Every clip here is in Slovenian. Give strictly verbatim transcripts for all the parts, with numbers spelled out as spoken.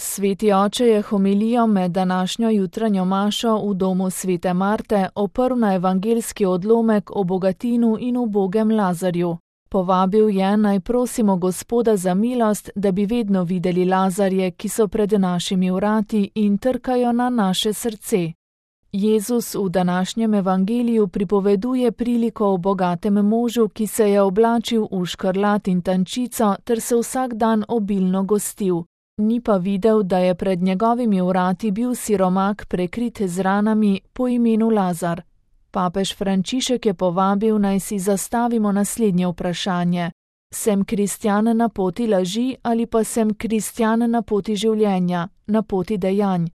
Sveti oče je homilijo med današnjo jutranjo mašo v domu svete Marte oprl na evangeljski odlomek o bogatinu in ubogem Lazarju. Povabil je, naj prosimo Gospoda za milost, da bi vedno videli Lazarje, ki so pred našimi vrati in trkajo na naše srce. Jezus v današnjem evangeliju pripoveduje priliko o bogatem možu, ki se je oblačil v škrlat in tančico ter se vsak dan obilno gostil. Ni pa videl, da je pred njegovimi vrati bil siromak prekrit z ranami po imenu Lazar. Papež Frančišek je povabil, naj si zastavimo naslednje vprašanje. Sem kristjan na poti laži ali pa sem kristjan na poti življenja, na poti dejanj?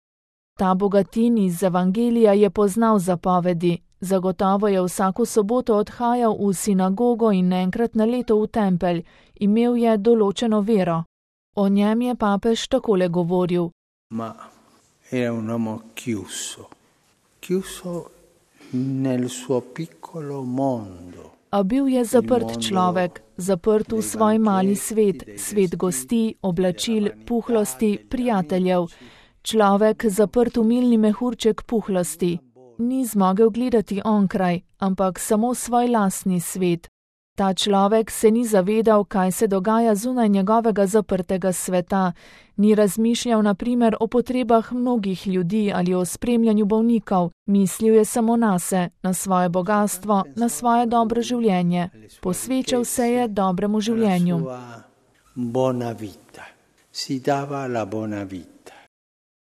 Ta bogatin iz evangelija je poznal zapovedi. Zagotovo je vsako soboto odhajal v sinagogo in enkrat na leto v tempelj. Imel je določeno vero. O njem je papež takole govoril. Ma era un uomo chiuso, chiuso nel suo piccolo mondo. A bil je zaprt človek, zaprt v svoj mali svet, svet gosti, oblačil, puhlosti, prijateljev. Človek zaprt v milni mehurček puhlosti. Ni zmogel gledati onkraj, ampak samo svoj lastni svet. Ta človek se ni zavedal, kaj se dogaja zunaj njegovega zaprtega sveta. Ni razmišljal na primer o potrebah mnogih ljudi ali o spremljanju bolnikov. Mislil je samo nase, na svoje bogastvo, na svoje dobro življenje. Posvečal se je dobremu življenju.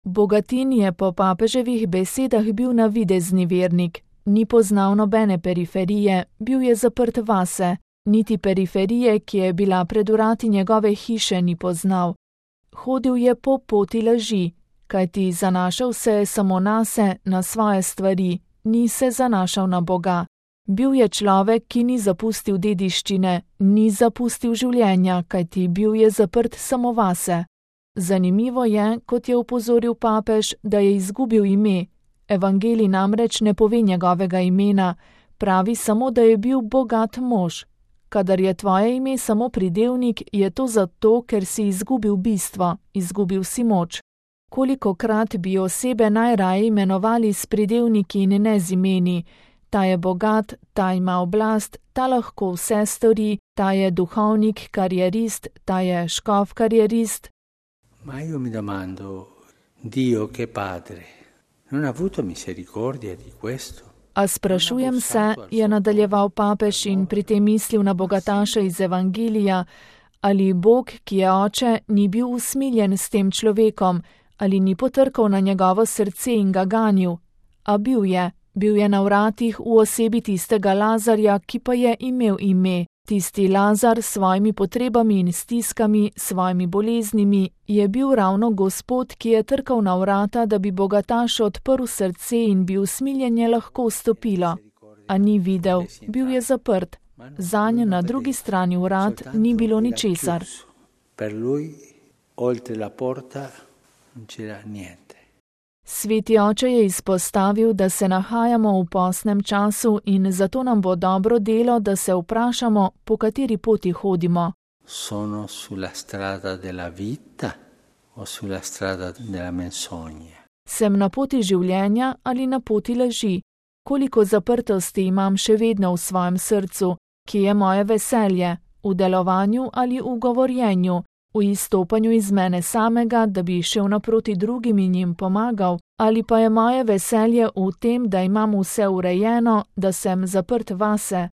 Bogatin je po papeževih besedah bil navidezni vernik. Ni poznal nobene periferije, bil je zaprt vase. Niti periferije, ki je bila pred vrati njegove hiše, ni poznal. Hodil je po poti laži, kajti zanašal se je samo nase, na svoje stvari, ni se zanašal na Boga. Bil je človek, ki ni zapustil dediščine, ni zapustil življenja, kajti bil je zaprt samo vase. Zanimivo je, kot je opozoril papež, da je izgubil ime. Evangelij namreč ne pove njegovega imena, pravi samo, da je bil bogat mož. Kadar je tvoje ime samo pridevnik, je to zato, ker si izgubil bistvo, izgubil si moč. Kolikokrat bi osebe najraje imenovali s pridevniki in ne z imeni. Ta je bogat, ta ima oblast, ta lahko vse stori, ta je duhovnik, karierist, ta je škof, karierist. Ma io mi domando, Dio che padre, non ha avuto misericordia di questo? A sprašujem se, je nadaljeval papež in pri tem mislil na bogataša iz evangelija, ali Bog, ki je oče, ni bil usmiljen s tem človekom, ali ni potrkal na njegovo srce in ga ganil. A bil je, bil je na vratih v osebi tistega Lazarja, ki pa je imel ime. Tisti Lazar s svojimi potrebami in stiskami, svojimi boleznimi, je bil ravno Gospod, ki je trkal na vrata, da bi bogatašu odprl srce in bi usmiljenje lahko vstopilo. A ni videl, bil je zaprt. Zanj na drugi strani vrat ni bilo ničesar. Per lui, oltre la porta, non c'era niente. Sveti oče je izpostavil, da se nahajamo v postnem času in zato nam bo dobro delo, da se vprašamo, po kateri poti hodimo. Sono sulla strada della vita o sulla strada della menzogna? Sem na poti življenja ali na poti laži? Koliko zaprtosti imam še vedno v svojem srcu? Kje je moje veselje? V delovanju ali v govorjenju? V izstopanju iz mene samega, da bi šel naproti drugim in jim pomagal, ali pa je moje veselje v tem, da imam vse urejeno, da sem zaprt vase.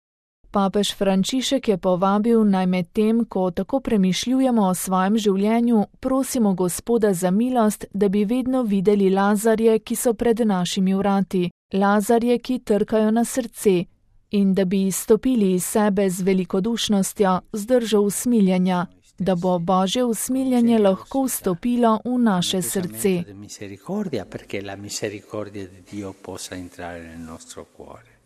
Papež Frančišek je povabil, naj med tem, ko tako premišljujemo o svojem življenju, prosimo Gospoda za milost, da bi vedno videli Lazarje, ki so pred našimi vrati, Lazarje, ki trkajo na srce, in da bi izstopili iz sebe z velikodušnostjo, z držo usmiljenja, da bo Božje usmiljenje lahko vstopilo v naše srce. Perché la misericordia di Dio possa entrare nel nostro cuore.